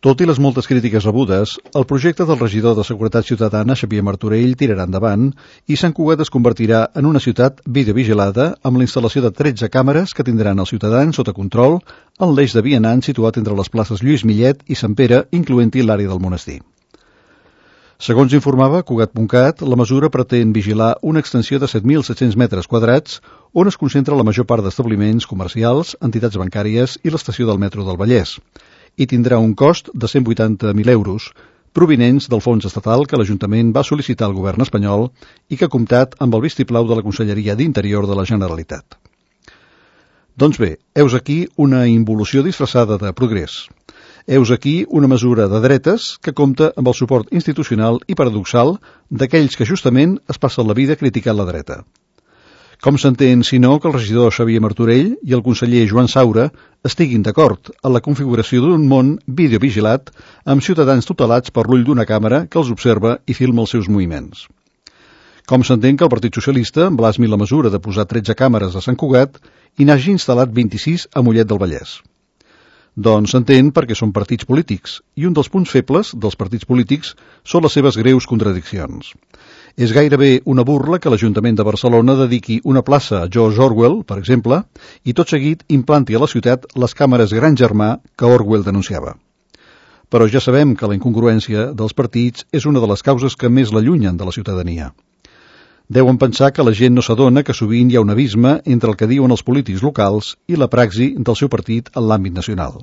Tot i les moltes crítiques rebudes, el projecte del regidor de Seguretat Ciutadana, Xavier Martorell, tirarà endavant i Sant Cugat es convertirà en una ciutat videovigilada amb la instal·lació de 13 càmeres que tindran els ciutadans sota control en l'eix de vianant situat entre les places Lluís Millet i Sant Pere, incloent-hi l'àrea del monestir. Segons informava Cugat.cat, la mesura pretén vigilar una extensió de 7.700 metres quadrats on es concentra la major part d'establiments comercials, entitats bancàries i l'estació del metro del Vallès, i tindrà un cost de 180.000 euros, provinents del fons estatal que l'Ajuntament va sol·licitar al govern espanyol i que ha comptat amb el vistiplau de la Conselleria d'Interior de la Generalitat. Doncs bé, heus aquí una involució disfressada de progrés. Heus aquí una mesura de dretes que compta amb el suport institucional i paradoxal d'aquells que justament es passen la vida criticant la dreta. Com s'entén, si no, que el regidor Xavier Martorell i el conseller Joan Saura estiguin d'acord en la configuració d'un món videovigilat amb ciutadans tutelats per l'ull d'una càmera que els observa i filma els seus moviments. Com s'entén que el Partit Socialista blasmi la mesura de posar 13 càmeres a Sant Cugat i n'hagi instal·lat 26 a Mollet del Vallès. Doncs s'entén perquè són partits polítics, i un dels punts febles dels partits polítics són les seves greus contradiccions. És gairebé una burla que l'Ajuntament de Barcelona dediqui una plaça a George Orwell, per exemple, i tot seguit implanti a la ciutat les càmeres Gran Germà que Orwell denunciava. Però ja sabem que la incongruència dels partits és una de les causes que més l'allunyen de la ciutadania. Deuen pensar que la gent no s'adona que sovint hi ha un abisme entre el que diuen els polítics locals i la praxi del seu partit en l'àmbit nacional.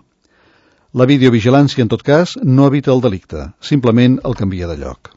La videovigilància, en tot cas, no evita el delicte, simplement el canvia de lloc.